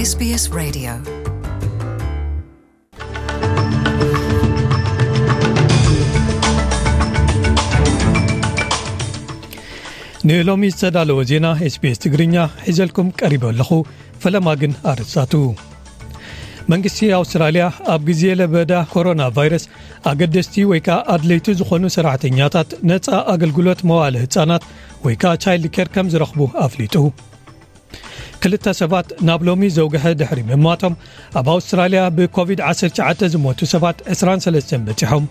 SBS Radio. ንሎሚ ዝተዳለወ ዜና SBS ትግርኛ ሒዘልኩም ቀሪበ ኣለኹ። ፈለማ ግን ኣርእስታቱ። መንግስቲ ኣውስትራልያ ኣብ ግዜ ለበዳ ኮሮና ቫይረስ ኣገደስቲ ወይ ከኣ ኣድለይቲ ዝኾኑ ሰራሕተኛታት ነጻ ኣገልግሎት መዋለ ህጻናት ወይ ከኣ ቻይልድ ኬር ከም ዝረኽቡ ኣፍሊጡ። ክልተ ሰባት ናብ ሎሚ ዘውግሐ ድሕሪ ምማቶም ኣብ ኣውስትራልያ ብኮቪድ ዓሰርተ ትሽዓተ ዝሞቱ ሰባት ዕስራን ሰለስተን በጺሖም።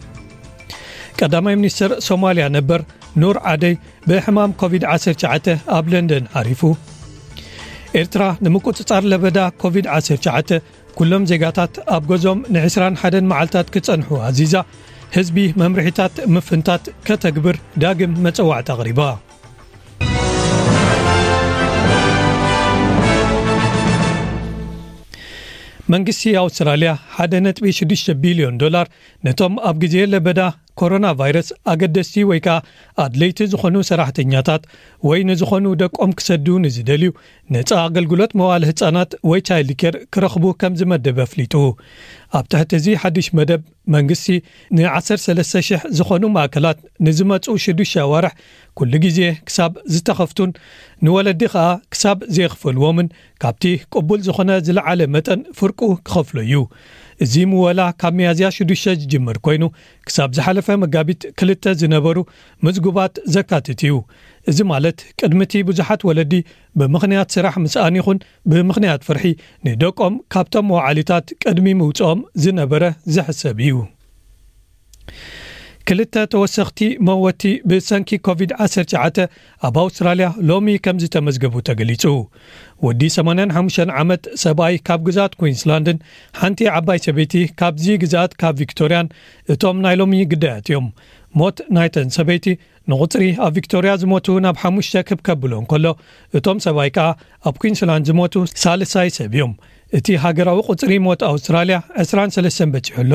ቀዳማይ ሚኒስትር ሶማልያ ነበር ኑር ዓደይ ብሕማም ኮቪድ ዓሰርተ ትሽዓተ ኣብ ለንደን ዓሪፉ። ኤርትራ ንምቁጽጻር ለበዳ ኮቪድ ዓሰርተ ትሽዓተ ኩሎም ዜጋታት ኣብ ገዞም ንዕስራን ሓደን መዓልታት ክጸንሑ ኣዚዛ። ህዝቢ መምርሒታት ምፍንታት ከተግብር ዳግም መጸዋዕታ ኣቕሪባ። መንግስቲ ኣውስትራልያ ሓደ ነጥቢ ሽዱሽተ ቢልዮን ዶላር ነቶም ኣብ ግዜ ለበዳ ኮሮና ቫይረስ ኣገደስቲ ወይ ከኣ ኣድለይቲ ዝኾኑ ሰራሕተኛታት ወይ ንዝኾኑ ደቆም ክሰዱ ንዝደልዩ ነጻ ኣገልግሎት መዋለ ህጻናት ወይ ቻይልድ ኬር ክረኽቡ ከም ዝመደበ ኣፍሊጡ። ኣብ ትሕቲ እዚ ሓድሽ መደብ መንግስቲ ንዓሰርተ ሰለስተ ሽሕ ዝኾኑ ማእከላት ንዝመጹ ሽዱሽተ ኣዋርሕ ኩሉ ግዜ ክሳብ ዝተኸፍቱን ንወለዲ ከኣ ክሳብ ዘይኽፈልዎምን ካብቲ ቅቡል ዝኾነ ዝለዓለ መጠን ፍርቁ ክኸፍሎ እዩ። እዚ ምወላ ካብ ሚያዝያ ሽዱሽተ ዝጅምር ኮይኑ ክሳብ ዝሓለፈ መጋቢት ክልተ ዝነበሩ ምዝጉባት ዘካትት እዩ። እዚ ማለት ቅድሚ እቲ ብዙሓት ወለዲ ብምኽንያት ስራሕ ምስኣን ይኹን ብምኽንያት ፍርሒ ንደቆም ካብቶም መዋዕሊታት ቅድሚ ምውጽኦም ዝነበረ ዝሕሰብ እዩ። ክልተ ተወሰኽቲ መወቲ ብሰንኪ ኮቪድ ዓሰርተ ትሽዓተ ኣብ ኣውስትራልያ ሎሚ ከም ዝተመዝገቡ ተገሊጹ። ወዲ ሰማንያን ሓሙሽተን ዓመት ሰብኣይ ካብ ግዝኣት ኩዊንስላንድን ሓንቲ ዓባይ ሰበይቲ ካብዚ ግዝኣት ካብ ቪክቶርያን እቶም ናይ ሎሚ ግዳያት እዮም። ሞት ናይተን ሰበይቲ ንቑጽሪ ኣብ ቪክቶርያ ዝሞቱ ናብ ሓሙሽተ ክብ ከብሎ እንከሎ፣ እቶም ሰብኣይ ከኣ ኣብ ኩዊንስላንድ ዝሞቱ ሳልሳይ ሰብ እዮም። እቲ ሃገራዊ ቁጽሪ ሞት ኣውስትራልያ ዕስራን ሰለስተን በጺሑ ኣሎ።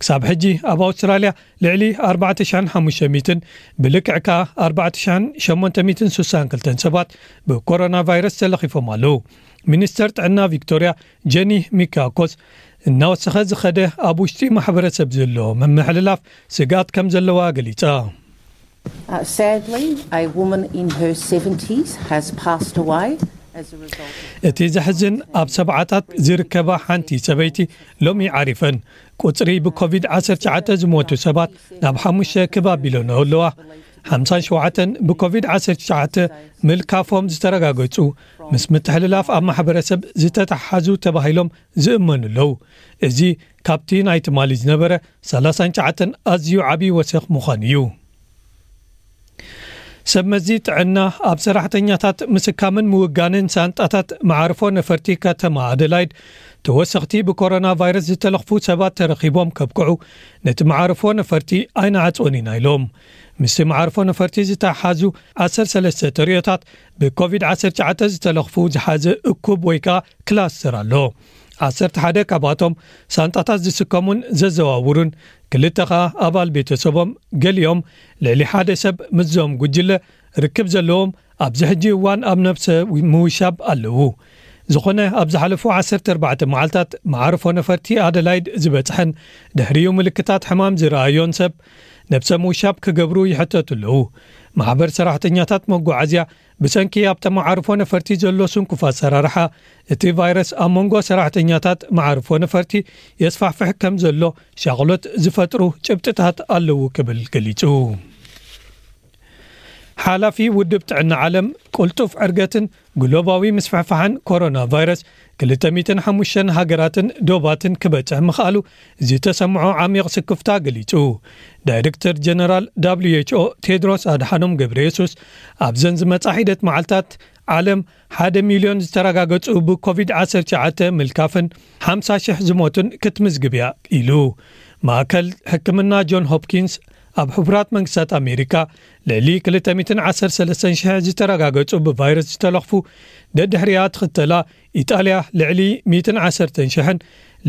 ክሳብ ሕጂ ኣብ ኣውስትራልያ ልዕሊ ኣርባዕተ ሽሕን ሓሙሽተ ሚእትን ብልክዕ ከኣ ኣርባዕተ ሽሕን ሸሞንተ ሚእትን ስሳን ክልተን ሰባት ብኮሮና ቫይረስ ተለኺፎም ኣለዉ። ሚኒስተር ጥዕና ቪክቶርያ ጀኒ ሚካኮስ እናወሰኸ ዝኸደ ኣብ ውሽጢ ማሕበረሰብ ዘሎ ምምሕልላፍ ስግኣት ከም ዘለዋ ገሊጻ። Uh, sadly, a woman in her seventies has passed away as a result of እቲ ዘሕዝን ኣብ ሰብዓታት ዝርከባ ሓንቲ ሰበይቲ ሎሚ ዓሪፈን። ቁጽሪ ብኮቪድ ዓሰርተ ትሽዓተ ዝሞቱ ሰባት ናብ ሓሙሽተ ክብ ኣቢለንኦ ኣለዋ። ሓምሳን ሸውዓተን ብኮቪድ ዓሰርተ ትሽዓተ ምልካፎም ዝተረጋገጹ ምስ ምትሕልላፍ ኣብ ማሕበረሰብ ዝተተሓሓዙ ተባሂሎም ዝእመኑ ኣለዉ። እዚ ካብቲ ናይ ትማሊ ዝነበረ ሰላሳን ትሽዓተን ኣዝዩ ዓቢ ወሰኽ ምዃኑ እዩ። ሰብ መዚ ጥዕና ኣብ ሰራሕተኛታት ምስካምን ምውጋንን ሳንጣታት መዓርፎ ነፈርቲ ከተማ ኣደላይድ ተወሰኽቲ ብኮሮና ቫይረስ ዝተለኽፉ ሰባት ተረኺቦም ከብቅዑ ነቲ መዓርፎ ነፈርቲ ኣይንዓጽዎን ኢና ኢሎም። ምስቲ መዓርፎ ነፈርቲ ዝተሓሓዙ ዓሰርተ ሰለስተ ተርእዮታት ብኮቪድ ዓሰርተ ትሽዓተ ዝተለኽፉ ዝሓዘ እኩብ ወይ ከኣ ክላስተር ኣሎ። ዓሰርተ ሓደ ካብኣቶም ሳንጣታት ዝስከሙን ዘዘዋውሩን፣ ክልተ ኸኣ ኣባል ቤተሰቦም፣ ገሊኦም ልዕሊ ሓደ ሰብ ምስዞም ጉጅለ ርክብ ዘለዎም ኣብዚ ሕጂ እዋን ኣብ ነብሰ ምውሻብ ኣለዉ። ዝኾነ ኣብ ዝሓለፉ ዓሰርተ ኣርባዕተ መዓልታት መዓርፎ ነፈርቲ ኣደላይድ ዝበጽሐን ድሕሪኡ ምልክታት ሕማም ዝረኣዮን ሰብ ነብሰ ምውሻብ ክገብሩ ይሕተቱ ኣለዉ። ማሕበር ሰራሕተኛታት መጓዓዝያ ብሰንኪ ኣብቲ መዓርፎ ነፈርቲ ዘሎ ስንኩፍ ኣሰራርሓ እቲ ቫይረስ ኣብ መንጎ ሰራሕተኛታት መዓርፎ ነፈርቲ የስፋሕፍሕ ከም ዘሎ ሻቕሎት ዝፈጥሩ ጭብጥታት ኣለዉ ክብል ገሊጹ። ሓላፊ ውድብ ጥዕና ዓለም ቅልጡፍ ዕርገትን ግሎባዊ ምስፍሕፋሕን ኮሮና ቫይረስ ክልተ ሚእትን ሓሙሽተን ሃገራትን ዶባትን ክበጽሕ ምኽኣሉ ዝተሰምዖ ዓሚቕ ስክፍታ ገሊጹ። ዳይሬክተር ጀነራል ደብሊው ኤች ኦ ቴድሮስ ኣድሓኖም ገብረ የሱስ ኣብዘን ዝመጻ ሒደት መዓልታት ዓለም ሓደ ሚልዮን ዝተረጋገጹ ብኮቪድ ዓሰርተ ትሽዓተ ምልካፍን ሓምሳ ሽሕ ዝሞቱን ክትምዝግብ እያ ኢሉ። ማእከል ሕክምና ጆን ሆፕኪንስ ኣብ ሕቡራት መንግስታት ኣሜሪካ ልዕሊ ክልተ ሚእትን ዓሰርተ ሰለስተን ሽሕ ዝተረጋገጹ ብቫይረስ ዝተለኽፉ ደድሕሪኣ ትኽተላ ኢጣልያ ልዕሊ ሚእትን ዓሰርተን ሽሕን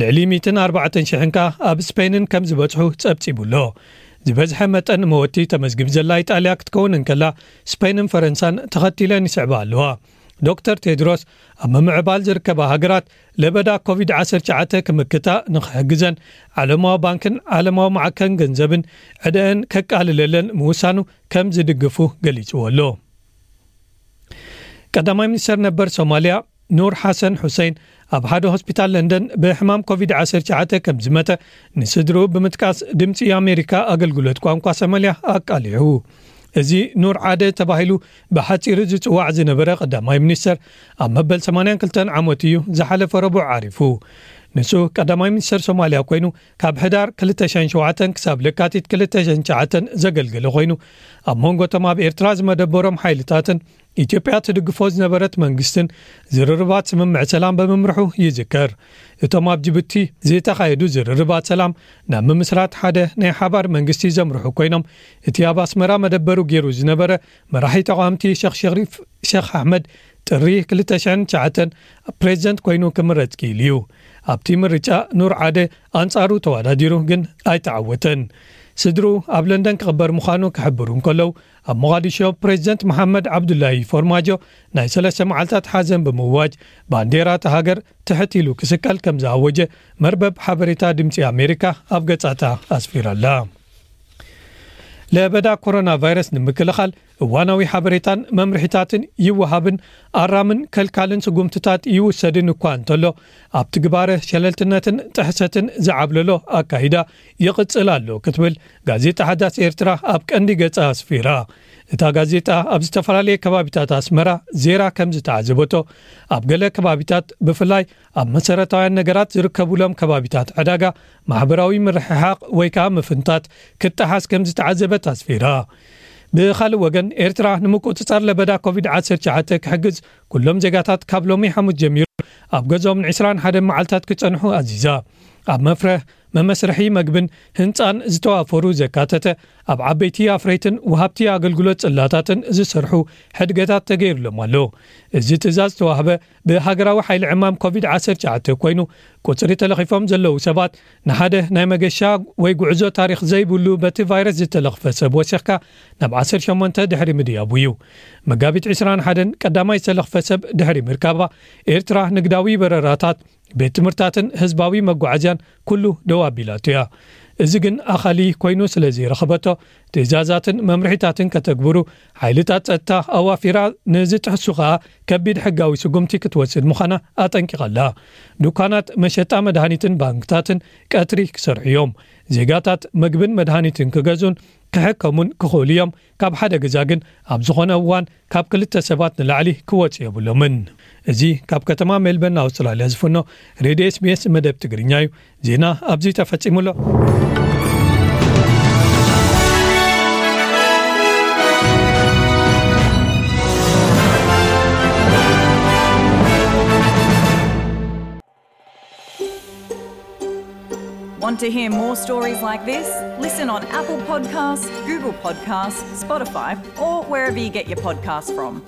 ልዕሊ ሚእትን ኣርባዕተን ሽሕን ከኣ ኣብ ስፔንን ከም ዝበጽሑ ጸብጺቡ ኣሎ። ዝበዝሐ መጠን መወቲ ተመዝጊብ ዘላ ኢጣልያ ክትከውን እንከላ ስፔንን ፈረንሳን ተኸቲለን ይስዕባ ኣለዋ። ዶክተር ቴድሮስ ኣብ ምምዕባል ዝርከባ ሃገራት ለበዳ ኮቪድ ዓሰርተ ትሽዓተ ክምክታ ንኽሕግዘን ዓለማዊ ባንክን ዓለማዊ ማዕከን ገንዘብን ዕደአን ከቃልለለን ምውሳኑ ከም ዝድግፉ ገሊጽዎ ኣሎ። ቀዳማይ ሚኒስተር ነበር ሶማልያ ኑር ሓሰን ሑሴን ኣብ ሓደ ሆስፒታል ለንደን ብሕማም ኮቪድ ዓሰርተ ትሽዓተ ከም ዝመተ ንስድርኡ ብምጥቃስ ድምፂ ኣሜሪካ ኣገልግሎት ቋንቋ ሶማልያ ኣቃሊዑ። እዚ ኑር ዓደ ተባሂሉ ብሓፂሩ ዝፅዋዕ ዝነበረ ቀዳማይ ሚኒስተር ኣብ መበል ሰማንያን ክልተን ዓመቱ እዩ ዝሓለፈ ረቡዕ ዓሪፉ። ንሱ ቀዳማይ ሚኒስተር ሶማልያ ኮይኑ ካብ ሕዳር ክልተ ሽሕን ሸውዓተን ክሳብ ለካቲት ክልተ ሽሕን ትሽዓተን ዘገልገለ ኮይኑ ኣብ መንጎ እቶም ኣብ ኤርትራ ዝመደበሮም ሓይልታትን ኢትዮጵያ ትድግፎ ዝነበረት መንግስትን ዝርርባት ስምምዕ ሰላም ብምምርሑ ይዝከር። እቶም ኣብ ጅቡቲ ዝተኻየዱ ዝርርባት ሰላም ናብ ምምስራት ሓደ ናይ ሓባር መንግስቲ ዘምርሑ ኮይኖም እቲ ኣብ ኣስመራ መደበሩ ገይሩ ዝነበረ መራሒ ተቓወምቲ ሸኽ ሸሪፍ ሸኽ ኣሕመድ ጥሪ ክልተ ሽሕን ትሽዓተን ፕሬዝደንት ኮይኑ ክምረጽ ክኢሉ እዩ። ኣብቲ ምርጫ ኑር ዓደ ኣንጻሩ ተወዳዲሩ ግን ኣይተዓወተን። ስድርኡ ኣብ ለንደን ክቕበር ምዃኑ ክሕብሩ እንከለዉ ኣብ ሞቓዲሾ ፕሬዝደንት መሓመድ ዓብዱላሂ ፎርማጆ ናይ ሰለስተ መዓልታት ሓዘን ብምእዋጅ ባንዴራ እታ ሃገር ትሕት ኢሉ ክስቀል ከም ዝኣወጀ መርበብ ሓበሬታ ድምፂ ኣሜሪካ ኣብ ገጻታ ኣስፊራላ። ለበዳ ኮሮና ቫይረስ ንምክልኻል እዋናዊ ሓበሬታን መምርሒታትን ይወሃብን ኣራምን ከልካልን ስጉምትታት ይውሰድን እኳ እንተሎ ኣብቲ ግባረ ሸለልትነትን ጥሕሰትን ዝዓብለሎ ኣካይዳ ይቕጽል ኣሎ ክትብል ጋዜጣ ሓዳስ ኤርትራ ኣብ ቀንዲ ገጻ ኣስፊራ። እታ ጋዜጣ ኣብ ዝተፈላለየ ከባቢታት ኣስመራ ዜራ ከም ዝተዓዘበቶ ኣብ ገለ ከባቢታት ብፍላይ ኣብ መሰረታውያን ነገራት ዝርከቡሎም ከባቢታት ዕዳጋ ማሕበራዊ ምርሕሓቕ ወይ ከዓ ምፍንታት ክጠሓስ ከም ዝተዓዘበት ኣስፊራ። ብኻልእ ወገን ኤርትራ ንምቁጽጻር ለበዳ ኮቪድ ዓሰርተ ትሽዓተ ክሕግዝ ኩሎም ዜጋታት ካብ ሎሚ ሓሙስ ጀሚሩ ኣብ ገዝኦም ን ዕስራን ሓደን መዓልታት ክጸንሑ ኣዚዛ። ኣብ መፍረህ መመስርሒ መግብን ህንጻን ዝተዋፈሩ ዘካተተ ኣብ ዓበይቲ ኣፍረይትን ወሃብቲ ኣገልግሎት ጽላታትን ዝሰርሑ ሕድገታት ተገይሩሎም ኣሎ። እዚ ትእዛዝ ዝተዋህበ ብሃገራዊ ሓይሊ ዕማም ኮቪድ ዓሰርተ ትሽዓተ ኮይኑ ቁጽሪ ተለኺፎም ዘለዉ ሰባት ንሓደ ናይ መገሻ ወይ ጉዕዞ ታሪኽ ዘይብሉ በቲ ቫይረስ ዝተለኽፈ ሰብ ወሲኽካ ናብ ዓሰርተ ሸሞንተ ድሕሪ ምድያቡ እዩ። መጋቢት ዕስራን ሓደን ቀዳማይ ዝተለኽፈ ሰብ ድሕሪ ምርካባ ኤርትራ ንግዳዊ በረራታት ቤት ትምህርታትን ህዝባዊ መጓዓዝያን ኩሉ ደው ኣቢላቶ እያ። እዚ ግን ኣኻሊ ኮይኑ ስለ ዘይረኸበቶ ትእዛዛትን መምርሒታትን ከተግብሩ ሓይልታት ጸጥታ ኣዋፊራ ንዝጥሕሱ ከኣ ከቢድ ሕጋዊ ስጉምቲ ክትወስድ ምዃና ኣጠንቂቓ ኣላ። ዱካናት መሸጣ መድሃኒትን ባንክታትን ቀትሪ ክሰርሑ እዮም። ዜጋታት መግብን መድሃኒትን ክገዙን ክሕከሙን ክኽእሉ እዮም። ካብ ሓደ ገዛ ግን ኣብ ዝኾነ እዋን ካብ ክልተ ሰባት ንላዕሊ ክወጹ የብሎምን። እዚ ካብ ከተማ ሜልበርን ኣውስትራልያ ዝፍኖ ሬድዮ ኤስቢኤስ መደብ ትግርኛ እዩ። ዜና ኣብዚ ተፈጺሙ ኣሎ። Want to hear more stories like this? Listen on Apple Podcasts, Google Podcasts, Spotify, or wherever you get your podcasts from.